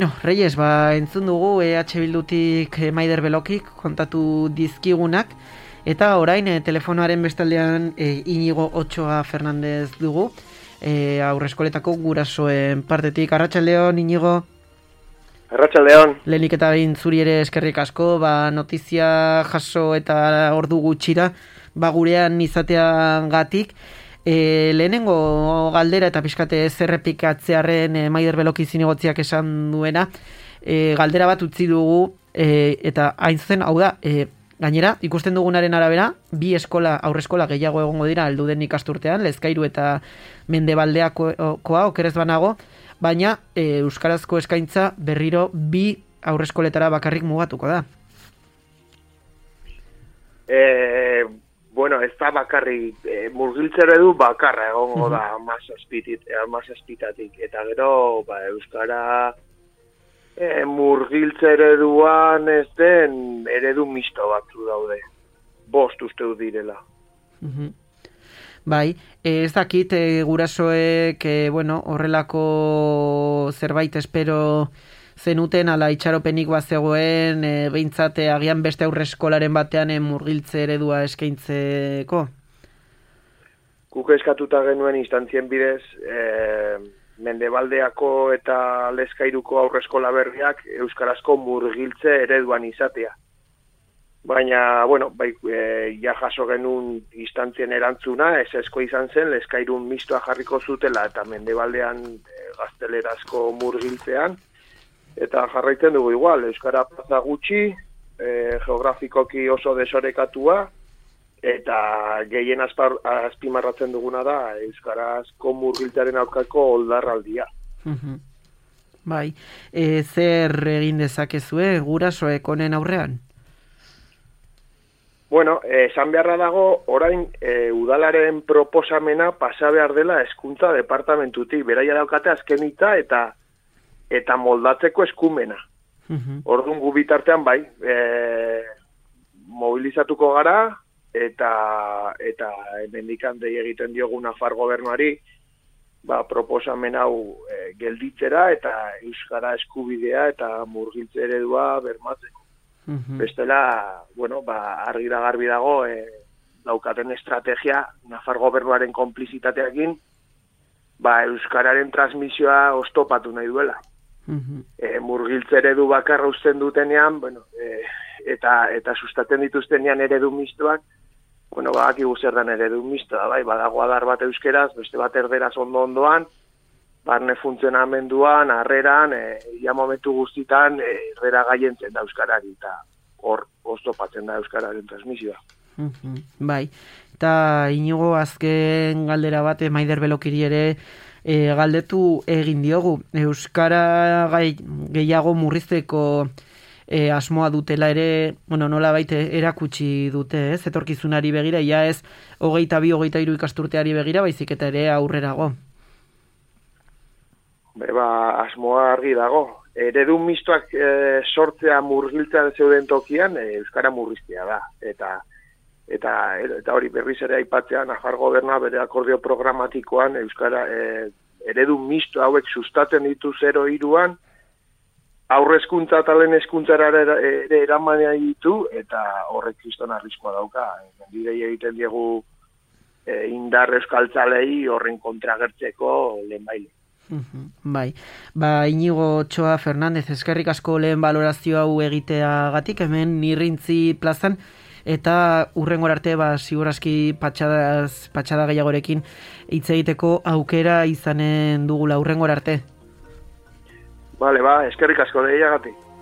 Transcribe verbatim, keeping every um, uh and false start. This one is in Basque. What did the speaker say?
No, Reyes, ba, entzun dugu E H Bildutik eh, Maider Belokik kontatu dizkigunak, eta orain eh, telefonoaren bestaldean eh, Inigo Otxoa Fernandez dugu, eh, aurreskoletako gurasoen partetik. Arratsaldeon, Inigo. Arratsaldeon. Lehenik eta behin zuri ere eskerrik asko, ba, notizia jaso eta ordu gutxira, ba, gurean izateagatik. E, lehenengo galdera eta pixkate zerrepikatzearen e, Maider Beloki zinegotziak esan duena, e, galdera bat utzi dugu, e, eta hain zuzen, hau da, e, gainera, ikusten dugunaren arabera, bi eskola, aurreskola gehiago egongo dira helduden ikasturtean, Lezkairu eta Mendebaldeakoa okerez banago, baina e, euskarazko eskaintza berriro bi aurreskoletara bakarrik mugatuko da. Eh... Bueno, ez da bakarri, e, murgiltzere du bakarra egongo uh-huh. da amazazpitatik. Eta gero, ba, euskara e, murgiltzere duan ez den eredu misto batzu daude. Bost uste du direla. Uh-huh. Bai, ez dakit e, gurasoek, e, bueno, horrelako zerbait espero zenuten, ala itxaropenik bazegoen, e, behintzate agian beste aurreskolaren batean e, murgiltze eredua eskaintzeko? Guk eskatuta genuen instantzien bidez, e, Mendebaldeako eta Lezkairuko aurreskola berriak euskarazko murgiltze ereduan izatea. Baina, bueno, bai, e, ja jaso genuen instantzien erantzuna, ez esko izan zen, Lezkairun mistoa jarriko zutela eta Mendebaldean e, gaztelerazko murgiltzean, eta jarraitzen dugu igual, euskara plaza gutxi, e, geografikoki oso desorekatua, eta gehien azpar, azpimarratzen duguna da euskarazko murgiltzaren aurkako oldarraldia. Uh-huh. Bai, e, zer egin dezakezue gurasoek honen aurrean? Bueno, esan beharra dago, orain e, udalaren proposamena pasa behar dela hezkuntza departamentutik, beraia daukate azkenita eta eta moldatzeko eskumena. Uh-huh. Orduan gu bitartean bai, e, mobilizatuko gara, eta eta hemendikan dei egiten diogu Nafar gobernuari, ba, proposamen hau e, gelditzera, eta euskara eskubidea eta murgiltze eredua bermatzeko. Uh-huh. Bestela, bueno, ba, argi da garbi dago, e, daukaten estrategia, Nafar gobernuaren konplizitateakin, ba, euskararen transmisioa oztopatu nahi duela. Uh-huh. E, murgiltze eredu bakarra uzten dutenean, bueno, e, eta eta sustatzen dituztenean eredu mistoak, bueno, badakigu zer den eredu mistoa, bai, badago adar bat euskeraz, beste bat erderaz ondo ondoan, barne funtzionamenduan, harreran, e, ia momentu guztitan, e, errera gaientzen da euskarari, eta hor oztopatzen da euskararen transmisioa. Uh-huh. Bai, eta Inigo azken galdera bat, Maider Belokiri ere, E, galdetu egin diogu, euskara gai, gehiago murrizteko e, asmoa dutela ere, bueno, nola baite erakutsi dute, ez, etorkizunari begira, ja ez hogeita bi, hogeita hiru ikasturteari begira, baizik eta ere aurrerago. Beba, asmoa argi dago. Eredu mistoak e, sortzea murgiltzea zeuden tokian, e, euskara murriztea da, eta Eta, eta hori berriz ere aipatzea, Nafar gobernua bere akordio programatikoan euskara e, eredu misto hauek sustatzen ditu zero hiruan, aurrezkuntza eta lehen hezkuntzara ere eramanea ditu, eta horrek kriston arriskoa dauka. Bidei egiten diegu e, indar euskaltzalei horren kontragertzeko lehen baile. Uh-huh. Bai, ba, Inigo Otxoa Fernandez, eskerrik asko lehen balorazio hau egiteagatik, hemen Nirrintzi plazan, eta hurrengora arte, ba, siguraski patxadaz, patxada gehiagorekin hitz egiteko aukera izanen dugula hurrengora arte. Bale, ba, eskerrik asko deiagatik.